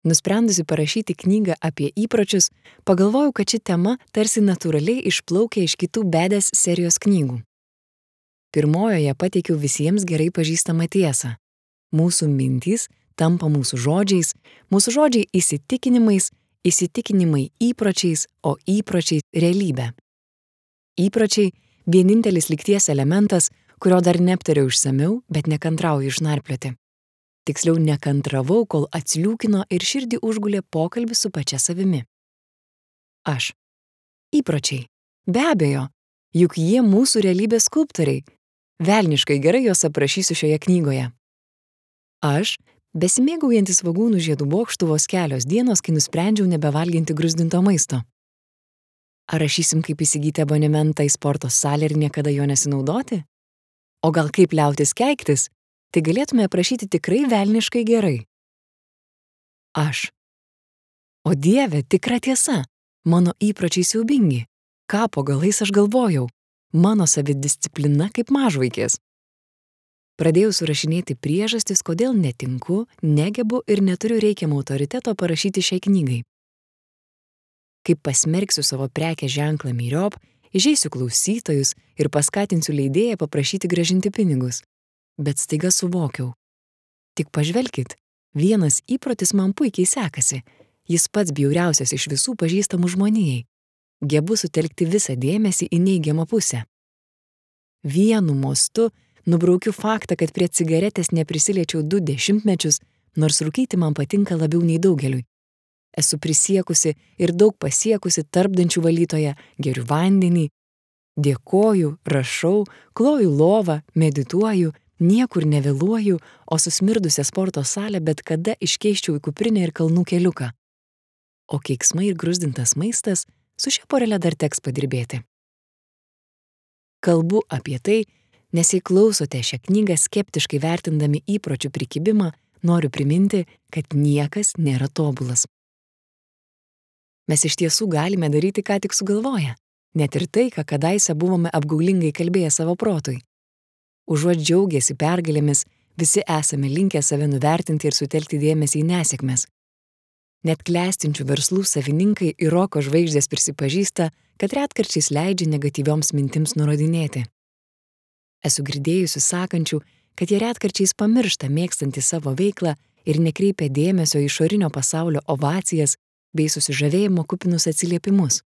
Nusprendusi parašyti knygą apie įpročius, pagalvojau, kad ši tema tarsi natūraliai išplaukia iš kitų Badass serijos knygų. Pirmojoje pateikiau visiems gerai pažįstamą tiesą. Mūsų mintys tampa mūsų žodžiai įsitikinimais, įsitikinimai įpročiais, o įpročiai realybė. Įpročiai – vienintelis lygties elementas, kurio dar neaptariau išsamiau, bet nekantrauju išnarplioti. Tiksliau nekantravau, kol atsliūkino ir širdį užgulė pokalbis su pačia savimi. Aš. Įpročiai. Be abejo, juk jie mūsų realybės skulptoriai. Velniškai gerai juos aprašysiu šioje knygoje. Aš, besimėgaujantis svogūnų žiedų bokštu vos kelios dienos, kai nusprendžiau nebevalginti gruzdinto maisto. Ar rašysim, kaip įsigyti abonementą į sporto salę ir niekada jo nesinaudoti? O gal kaip liautis keiktis? Tai galėtume aprašyti tikrai velniškai gerai. Aš. O Dieve, tikra tiesa, mano įpročiai siaubingi. Ką po galais aš galvojau? Mano savidisciplina kaip mažvaikės. Pradėjau surašinėti priežastis, kodėl netinku, negebu ir neturiu reikiamo autoriteto parašyti šiai knygai. Kaip pasmerksiu savo prekės ženklą myriop, įžeisiu klausytojus ir paskatinsiu leidėją paprašyti grąžinti pinigus. Bet staiga suvokiau. Tik pažvelkit, vienas įprotis man puikiai sekasi. Jis pats bjauriausias iš visų pažįstamų žmonijai. Gebu sutelkti visą dėmesį į neigiamą pusę. Vienu mostu nubraukiu faktą, kad prie cigaretės neprisiliečiau 2 dešimtmečius, nors rūkyti man patinka labiau nei daugeliui. Esu prisiekusi ir daug pasiekusi tarpdančių valytoja, geriu vandenį, dėkoju, rašau, kloju lovą, medituoju, niekur nevėluoju, o susmirdusią sporto salę bet kada iškeisčiau į kuprinę ir kalnų keliuką. O keiksmai ir gruzdintas maistas, su šia porele dar teks padirbėti. Kalbu apie tai, nes jei klausote šią knygą skeptiškai vertindami įpročių prikibimą, noriu priminti, kad niekas nėra tobulas. Mes iš tiesų galime daryti, ką tik sugalvoję, net ir tai, ką kadaise buvome apgaulingai kalbėję savo protui. Užuot džiaugėsi pergalėmis, visi esame linkę save nuvertinti ir sutelkti dėmesį į nesėkmes. Net klestinčių verslų savininkai ir roko žvaigždės prisipažįsta, kad retkarčiais leidžia negatyvioms mintims nurodinėti. Esu girdėjusi sakančių, kad jie retkarčiais pamiršta mėgstantį savo veiklą ir nekreipia dėmesio į išorinio pasaulio ovacijas bei susižavėjimo kupinus atsiliepimus.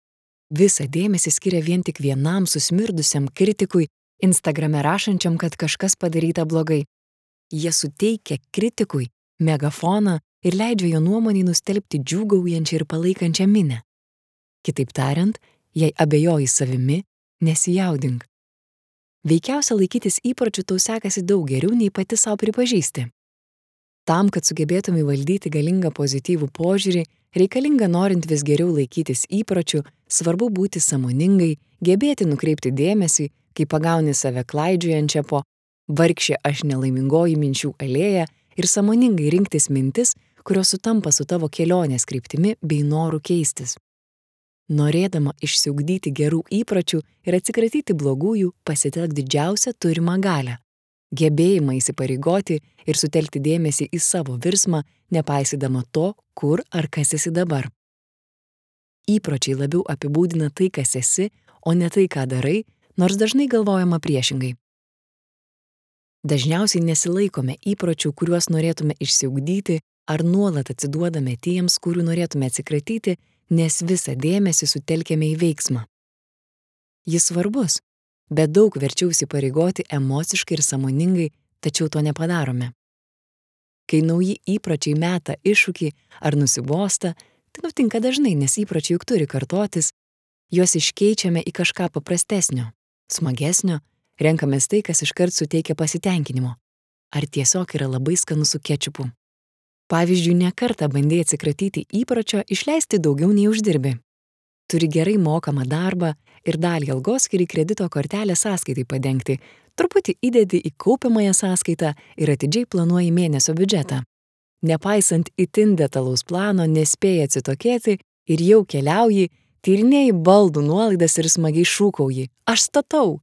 Visą dėmesį skiria vien tik vienam susmirdusiam kritikui, Instagrame rašančiam, kad kažkas padaryta blogai. Jie suteikia kritikui megafoną ir leidžia jo nuomonei nustelbti džiūgaujančią ir palaikančią minią. Kitaip tariant, jei abejoji savimi, nesijaudink. Veikiausia laikytis įpročių tau sekasi daug geriau nei pati sau pripažįsti. Tam, kad sugebėtumai valdyti galingą pozityvų požiūrį, reikalinga norint vis geriau laikytis įpročių, svarbu būti sąmoningai, gebėti nukreipti dėmesį, kai pagauni save klaidžiojančią po vargšė aš nelaimingoji minčių alėją ir sąmoningai rinktis mintis, kurios sutampa su tavo kelionės kryptimi bei noru keistis. Norėdama išsiugdyti gerų įpročių ir atsikratyti blogųjų, pasitelk didžiausią turimą galią. Gebėjimą įsipareigoti ir sutelkti dėmesį į savo virsmą, nepaisydama to, kur ar kas esi dabar. Įpročiai labiau apibūdina tai, kas esi, o ne tai, ką darai, nors dažnai galvojama priešingai. Dažniausiai nesilaikome įpročių, kuriuos norėtume išsiugdyti, ar nuolat atsiduodame tiems, kurių norėtume atsikratyti, nes visą dėmesį sutelkiame į veiksmą. Jis svarbus, bet daug verčiau įsipareigoti emociškai ir sąmoningai, tačiau to nepadarome. Kai nauji įpročiai meta iššūkį ar nusibosta, tai nutinka dažnai, nes įpročiai juk turi kartotis, juos iškeičiame į kažką paprastesnio, smagesnio, renkamės tai, kas iškart suteikia pasitenkinimo. Ar tiesiog yra labai skanu su kečupu. Pavyzdžiui, ne kartą bandei atsikratyti įpročio išleisti daugiau nei uždirbi. Turi gerai mokamą darbą ir dalį algos skiri kredito kortelės sąskaitai padengti, truputį įdedi į kaupiamąją sąskaitą ir atidžiai planuoji mėnesio biudžetą. Nepaisant itin detalaus plano, nespėjai atsitokėti ir jau keliauji, tyrinėji baldų nuolaidas ir smagiai šūkauji: aš statau!